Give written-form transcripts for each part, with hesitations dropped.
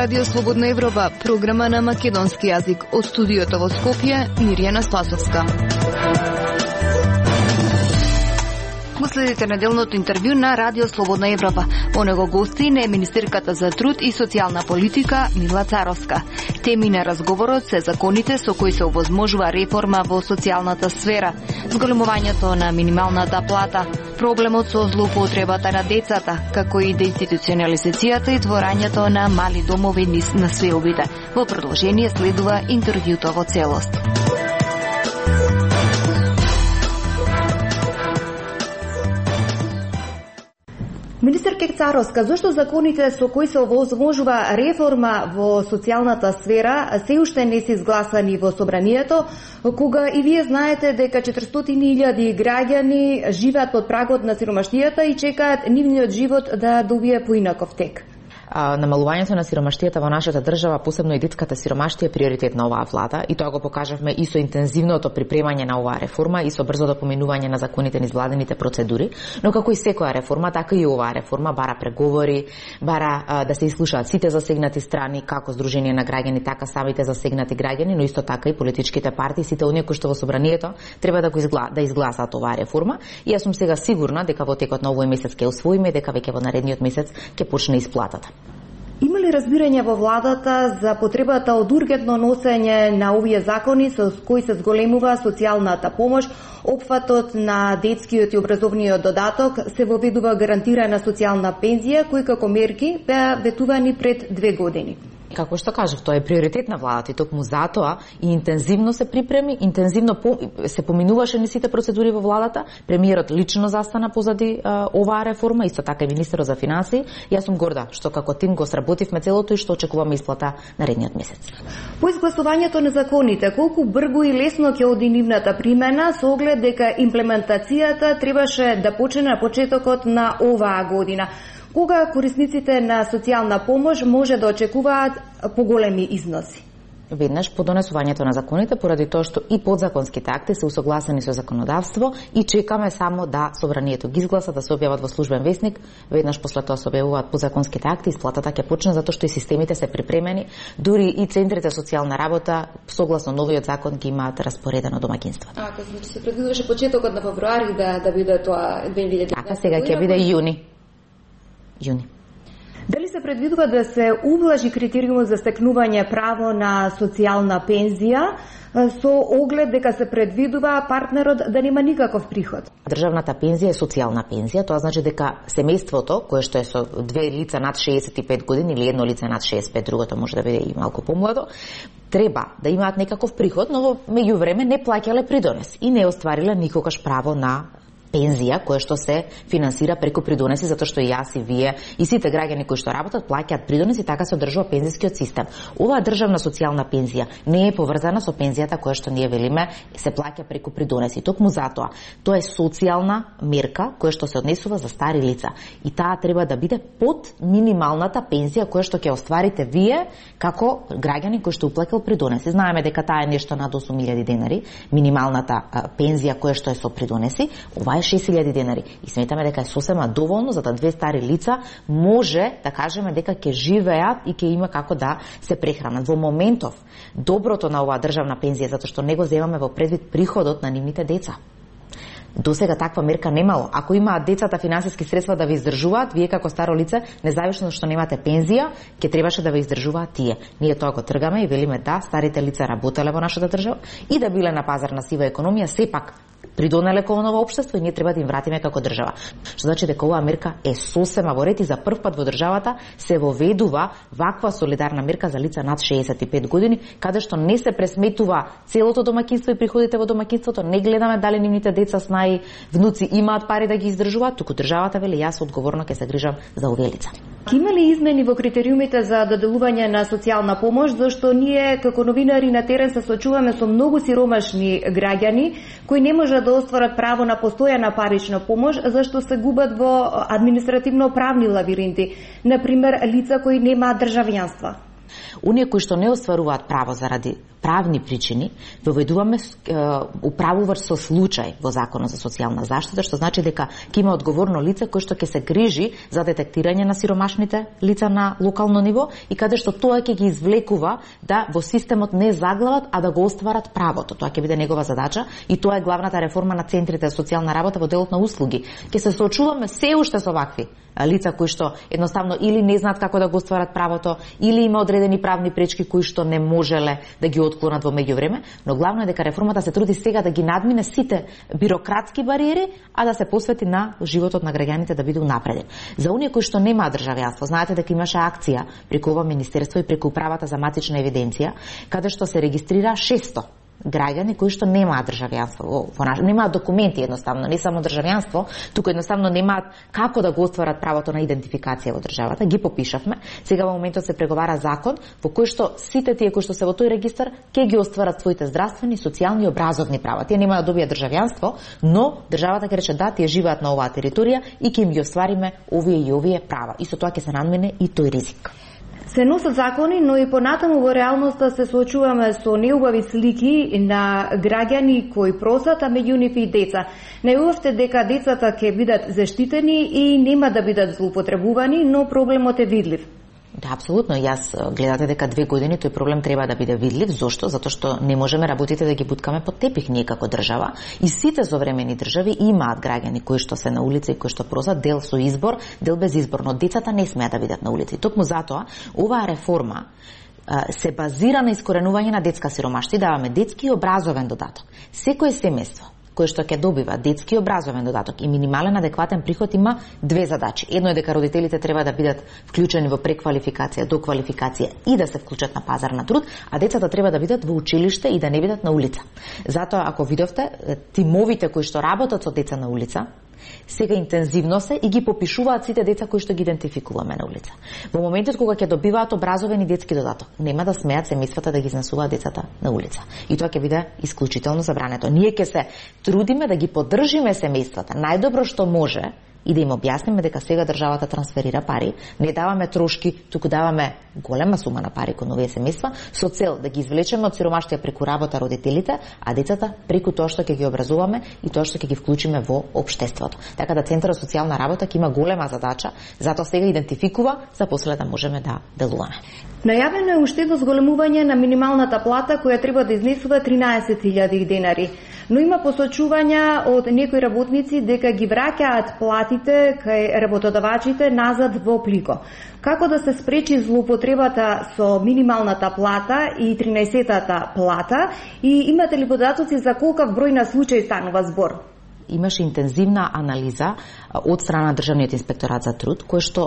Радио Слободна Европа, програма на македонски јазик. Од студиото во Скопје, Мирјана Спасовска. Го следите неделното интервју на Радио Слободна Европа. По него гостин е министерката за труд и социјална политика Мила Царовска. Теми на разговорот се законите со кои се овозможува реформа во социјалната сфера, зголемувањето на минималната плата, проблемот со злоупотребата на децата, како и деинституционализацијата и творањето на мали домови на свеобите. Во продолжение следува интервјуто во целост. Министерка Царовска, зошто законите со кои се овозможува реформа во социјалната сфера се уште не се изгласани во собранието, кога и вие знаете дека 400.000 граѓани живеат под прагот на сиромаштијата и чекаат нивниот живот да добие поинаков тек? Намалувањето на сиромаштијата во нашата држава, посебно и детската сиромаштија, е приоритет на оваа влада и тоа го покажавме и со интензивното припремање на оваа реформа и со брзото поминување на законите низ владините процедури, но како и секоја реформа, така и оваа реформа бара преговори, бара да се изслушаат сите засегнати страни, како Сдружение на граѓани, така самите засегнати граѓани, но исто така и политичките партии, сите оние кои што во собранието треба да изгласаат оваа реформа. И јас сум сега сигурна дека во текот на овој месец ќе усвоиме, дека веќе во наредниот месец ќе почне исплатата. Има ли разбирање во владата за потребата од ургентно носење на овие закони со кои се зголемува социјалната помош, опфатот на детскиот и образовниот додаток, се воведува гарантирана социјална пензија, кои како мерки беа ветувани пред 2 години? Како што кажав, тоа е приоритет на владата и токму затоа и интензивно се припреми, интензивно се поминуваше низ сите процедури во владата. Премиерот лично застана позади оваа реформа, исто така и министерот за финансии. Јас сум горда што како тим го сработивме целото и што очекуваме исплата наредниот месец. По изгласувањето на законите, колку брзо и лесно ќе оди нивната примена со оглед дека имплементацијата требаше да почне на почетокот на оваа година? Кога корисниците на социјална помош може да очекуваат поголеми износи? Веднаш по донесувањето на законите, поради тоа што и подзаконските акти се усогласени со законодавство и чекаме само да собранието ги изгласа, да се објават во службен весник, веднаш после тоа се објавуваат подзаконските акти, исплатата ќе почне затоа што и системите се припремени, дури и центрите социјална работа согласно новиот закон ги имаат распоредено домаќинството. Значи се предвидуваше почетокот на февруари да биде тоа 2019. Така, сега ќе биде јуни. Дали се предвидува да се ублажи критериумот за стекнување право на социјална пензија со оглед дека се предвидува партнерот да нема никаков приход? Државната пензија е социјална пензија, тоа значи дека семејството, кое што е со две лица над 65 години или едно лице над 65, другото може да биде и малку помладо, треба да имаат некаков приход, но во меѓувреме не плаќале придонес и не оствариле никогаш право на пензија која што се финансира преку придонеси, затоа што и јас и вие и сите граѓани кои што работат плаќаат придонеси и така се одржува пензискиот систем. Оваа државна социјална пензија не е поврзана со пензијата која што ние велиме се плаќа преку придонеси. Токму затоа, тоа е социјална мерка која што се однесува за стари лица и таа треба да биде под минималната пензија која што ќе остварите вие како граѓани кои што уплакал придонеси. Знаеме дека таа е нешто над 8.000 денари, минималната пензија која што е со придонеси. Ова 6.000 денари и сметаме дека е сосема доволно за да две стари лица може да кажеме дека ќе живеат и ќе има како да се прехранат. Во моментов доброто на оваа државна пензија затоа што не го земаме во предвид приходот на нивните деца. До сега таква мерка немало. Ако имаат децата финансиски средства да ви издржуваат, вие како старо лице, независно што немате пензија, ќе требаше да ви издржуваат тие. Ние тоа го тргаме и велиме да, старите лица работеле во нашата држава и да биле на пазар на сива економија, сепак придонеле кон ново општество и ние треба да им вратиме како држава. Што значи дека оваа мерка е сосема во ред и за прв пат во државата се воведува ваква солидарна мерка за лица над 65 години, каде што не се пресметува целото домаќинство и приходите во домаќинството, не гледаме дали нивните деца, снаи, внуци имаат пари да ги издржуваат, туку државата вели јас одговорно ќе се грижам за овие лица. Има ли измени во критериумите за доделување на социјална помош, зашто ние како новинари на терен се соочуваме со многу сиромашни граѓани кои не можат да остварат право на постојана парична помош зашто се губат во административно-правни лавиринти, например лица кои немаат државјанство? Оние кои што не остваруваат право заради правни причини, воведуваме управувач со случај во Законот за социјална заштита, што значи дека ќе има одговорно лице кој што ќе се грижи за детектирање на сиромашните лица на локално ниво и каде што тоа ќе ги извлекува да во системот не заглават, а да го остварат правото. Тоа ќе биде негова задача и тоа е главната реформа на центрите за социјална работа во делот на услуги. Ќе се соочуваме се уште со вакви лица кои што едноставно или не знаат како да го остварат правото, или има одредени правни пречки кои што не можеле да ги отклонат во меѓувреме, но главно е дека реформата се труди сега да ги надмине сите бирократски бариери, а да се посвети на животот на граѓаните да биде унапреден. За оние кои што немаат државјанство, знаете дека имаше акција преку ова министерство и преку управата за матична евиденција, каде што се регистрира 600 граѓани кои што немаат државјанство, немаат документи едноставно, не само државјанство, туку едноставно немаат како да го остварат правото на идентификација во државата. Ги попишавме. Сега во моментот се преговара закон во кој што сите тие кои што се во тој регистар ќе ги остварат своите здравствени, социјални и образовни права. Тие нема да добијат државјанство, но државата ќе рече да, тие живеат на оваа територија и ќе им ги оствариме овие и овие права. И со тоа ќе се надмине и тој ризик. Се носат закони, но и понатаму во реалноста се соочуваме со неубави слики на граѓани кои просат, а меѓу нив и деца. Најувавте дека децата ќе бидат заштитени и нема да бидат злоупотребувани, но проблемот е видлив. Да, апсолутно. Јас гледате дека 2 години тој проблем треба да биде видлив. Зошто? Затоа што не можеме работите да ги буткаме под тепих ние како држава. И сите современи држави имаат граѓани кои што се на улица и кои што просат, дел со избор, дел без избор, но децата не смеат да бидат на улица. И токму затоа оваа реформа се базира на искоренување на детска сиромаштва и даваме детски и образовен додаток. Секое семејство кој што ќе добива детски образовен додаток и минимален адекватен приход има 2 задачи. Едно е дека родителите треба да бидат вклучени во преквалификација, доквалификација и да се вклучат на пазар на труд, а децата треба да бидат во училиште и да не бидат на улица. Затоа, ако видовте, тимовите кои што работат со деца на улица, сега интензивно се и ги попишуваат сите деца кои што ги идентификуваме на улица. Во моментот кога ќе добиваат образовен и детски додаток, нема да смеат семејствата да ги изнесуваат децата на улица. И тоа ќе биде исклучително забрането. Ние ќе се трудиме да ги поддржиме семејствата најдобро што може и да им објасниме дека сега државата трансферира пари, не даваме трошки, туку даваме голема сума на пари кон овие семејства со цел да ги извлечеме од сиромаштија преку работа родителите, а децата преку тоа што ќе ги образуваме и тоа што ќе ги вклучиме во општеството. Така да Центарот за социјална работа ќе има голема задача, затоа сега идентификува за после да можеме да делуваме. Најавено е уште до зголемување на минималната плата која треба да изнесува 13.000 денари. Но има посочувања од некои работници дека ги враќаат платите кај работодавачите назад во плико. Како да се спречи злоупотребата со минималната плата и 13-тата плата и имате ли податоци за колкав број на случаи станува збор? Имаше интензивна анализа од страна на Државниот инспекторат за труд, кој што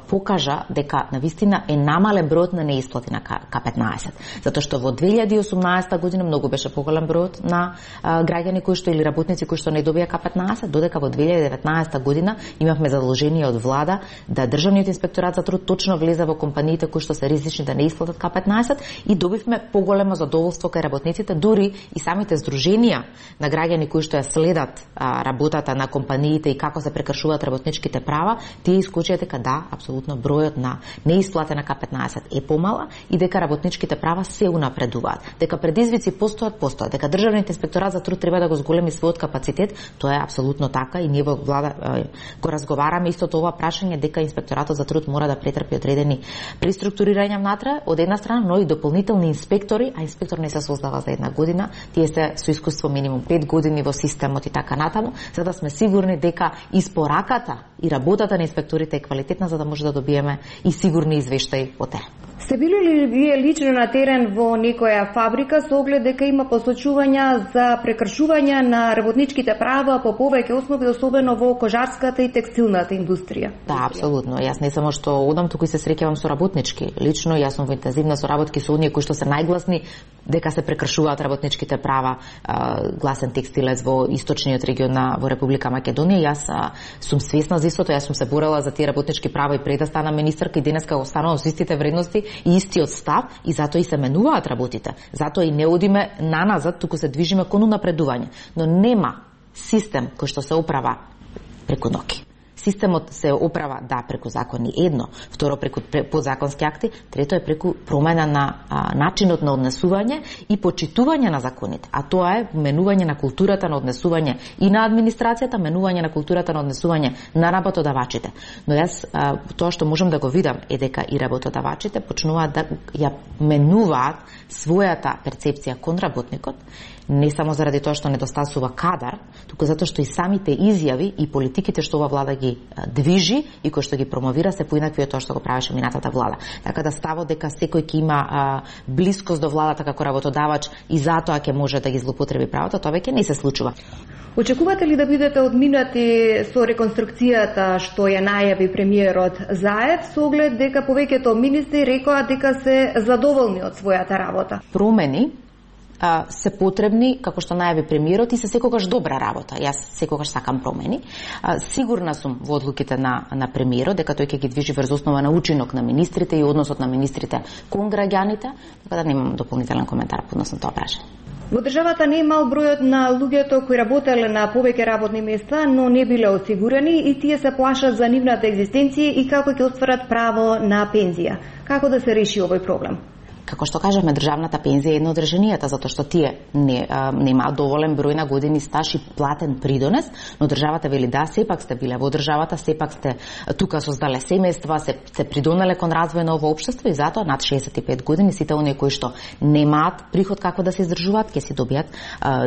покажа дека навистина е намален бројот на неисплати на К15. Затоа што во 2018 година многу беше поголем бројот на граѓани кои што или работници кои што не добија К15, додека во 2019 година имавме задолжение од влада да Државниот инспекторат за труд точно влезе во компаниите кои што се ризични да не исплатат К15 и добивме поголемо задоволство кај работниците, дури и самите здруженија на граѓани кои што ја следат работата на компаниите и како се прекршуваат работничките права, тие искочија дека да, апсолутно бројот на неисплатена К15 е помала и дека работничките права се унапредуваат. Дека предизвици постојат, дека Државниот инспекторат за труд треба да го зголеми својот капацитет, тоа е апсолутно така и ние во влада го разговараме истото ова прашање дека инспекторатот за труд мора да претрпи одредени преструктурирања внатре од една страна, но и дополнителни инспектори, а инспектор не се создава за една година, тие се со искуство минимум 5 години во системот и така натаму, за да сме сигурни дека испораката и работата на инспекторите е квалитетна, за да може да добиеме и сигурни извештаи од терен. Сте били ли вие лично на терен во некоја фабрика со оглед дека има посочувања за прекршување на работничките права по повеќе основи, особено во кожарската и текстилната индустрија? Да, апсолутно. Јас не само што одам, туку и се среќавам со работнички. Лично јас сум во интензивна соработки со оние кои што се најгласни дека се прекршуваат работничките права. Гласен текстилец во источниот регион во Република Македонија. Јас сум свесна за истото, јас сум се борела за тие работнички права и пред да стана министерка и денеска останувам со истите вредности и истиот став и затоа и се менуваат работите. Затоа и не одиме наназад, туку се движиме кон унапредување. Но нема систем кој што се управа преку ноќ. системот се оправа преку закони едно, второ преку подзаконски акти, трето е преку промена на начинот на однесување и почитување на законите. А тоа е менување на културата на однесување и на администрацијата, менување на културата на однесување на работодавачите. Но јас тоа што можам да го видам е дека и работодавачите почнуваат да ја менуваат својата перцепција кон работникот, не само заради тоа што недостасува кадар, туку затоа што и самите изјави и политиките што ова влада ги движи и кои што ги промовира се поинакви од тоа што го правеше минатата влада. Така да ставот дека секој ќе има блискост до владата како работодавач и затоа ќе може да ги злоупотреби правото, тоа веќе не се случува. Очекувате ли да бидете одминати со реконструкцијата што ја најави премиерот Заев, со оглед дека повеќето министри рекоа дека се задоволни од својата работа? Промени се потребни, како што најави премиерот, и се секогаш добра работа. Јас секогаш сакам промени. Сигурна сум во одлуките на премиерот, дека тој ќе ги движи врз основа на учинок на министрите и односот на министрите кон граѓаните, така да немам дополнителен коментар по однос на тоа прашање. Во државата не е мал бројот на луѓето кои работеле на повеќе работни места, но не биле осигурени и тие се плашат за нивната екзистенција и како ќе остварат право на пензија. Како да се реши овој проблем? Како што кажавме, државната пензија е едно од решенијата, затоа што тие нема доволен број на години стаж и платен придонес, но државата вели да, сепак сте биле во државата, сепак сте тука создале семејства, се придонеле кон развој на ово општество и затоа над 65 години сите оние кои што немаат приход како да се издржуваат, ќе си добијат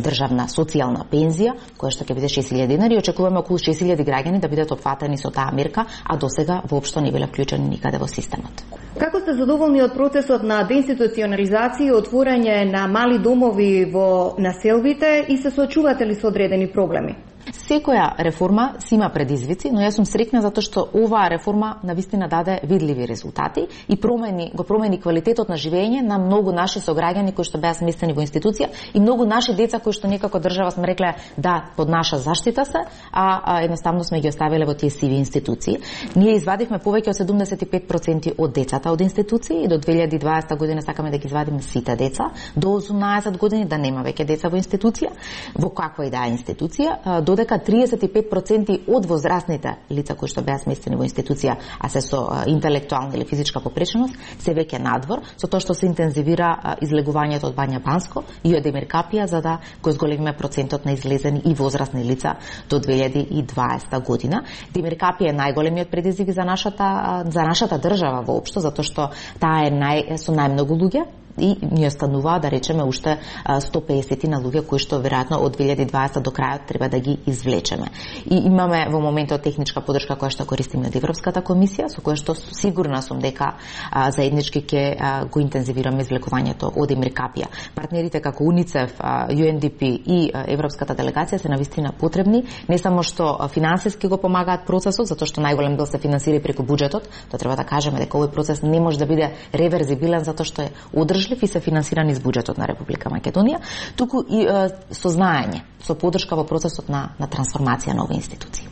државна социјална пензија, која што ќе биде 6.000 денари и очекуваме околу 6.000 граѓани да бидат опфатени со таа мерка, а досега воопшто не биле вклучени никаде во системот. Како сте задоволни од процесот на деинституционализација и отворање на мали домови во населбите и се соочувате ли со одредени проблеми? Секоја реформа си има предизвици, но јас сум среќна затоа што оваа реформа навистина даде видливи резултати и го промени квалитетот на живење на многу наши сограѓани кои што беа сместени во институција и многу наши деца кои што некако држава сме рекле да под наша заштита се, а едноставно сме ги оставиле во тие сиви институции. Ние извадивме повеќе од 75% од децата од институции и до 2020 година сакаме да ги извадиме сите деца до 18 години да нема веќе деца во институција, во каква и да е институција, додека 35% од возрастните лица кои што беа сместени во институција, а се со интелектуална или физичка попреченост, се веќе надвор, со тоа што се интензивира излегувањето од Бања Банско и од Демиркапија за да го зголемиме процентот на излезени и возрастни лица до 2020 година. Демиркапија е најголемиот предизвик за нашата држава воопшто, затоа што таа е со најмногу луѓе и ни останува да речеме уште 150 на луѓе кои што веројатно од 2020 до крајот треба да ги извлечеме. И имаме во моментот техничка подршка која што користиме од Европската комисија, со која што сигурна сум дека заеднички ќе го интензивираме извлекувањето од Демиркапија. Партнерите како УНИЦЕФ, UNDP и Европската делегација се навистина потребни, не само што финансиски го помагаат процесот, затоа што најголем дел се финансира преку буџетот, тоа треба да кажеме дека овој процес не може да биде реверзибилен затоа што е одржлив и се финансирани из буџетот на Република Македонија, туку и со знаење, со подршка во процесот на трансформација на овие институции.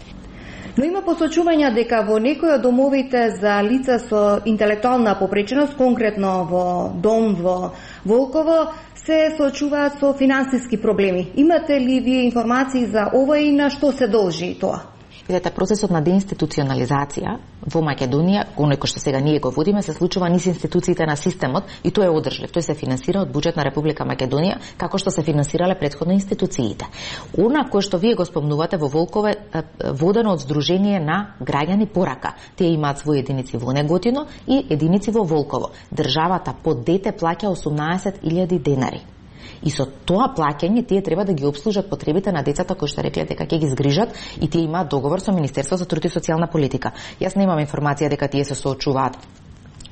Но има посочувања дека во некои од домовите за лица со интелектуална попреченост, конкретно во дом во Волково, се соочуваат со финансиски проблеми. Имате ли вие информации за ова и на што се должи тоа? Видете, процесот на деинституционализација во Македонија, оној кој што сега ние го водиме, се случува низ институциите на системот и тој е одржлив. Тој се финансира од буџет на Република Македонија, како што се финансирале претходно институциите. Она кој што вие го спомнувате во Волково водено од Сдружение на граѓани Порака. Тие имаат своји единици во Неготино и единици во Волково. Државата по дете плаќа 18.000 денари. И со тоа плаќање тие треба да ги обслужат потребите на децата кои што рекле дека ќе ги згрижат и тие имаат договор со Министерството за труд и социјална политика. Јас немам информација дека тие се соочуваат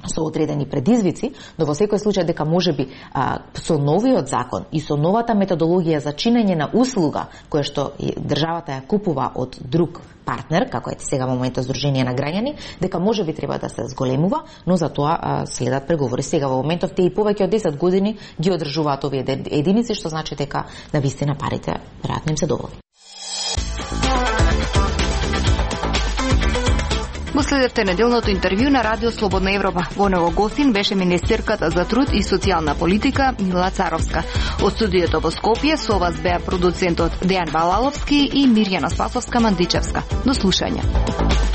со одредени предизвици, но во секој случај дека можеби со новиот закон и со новата методологија за чинење на услуга која што државата ја купува од друг партнер, како е сега во моментот Сдружение на граѓани, дека можеби треба да се зголемува, но за тоа следат преговори. Сега во моментов тие и повеќе од 10 години ги одржуваат овие единици, што значи дека навистина парите веројатно им се доволни. Го следевте неделното интервју на Радио Слободна Европа. Во него гостин беше министерката за труд и социјална политика Мила Царовска. Од студиото во Скопје со вас беа продуцентот Дејан Балаловски и Мирјана Спасовска-Мандичевска. До слушање.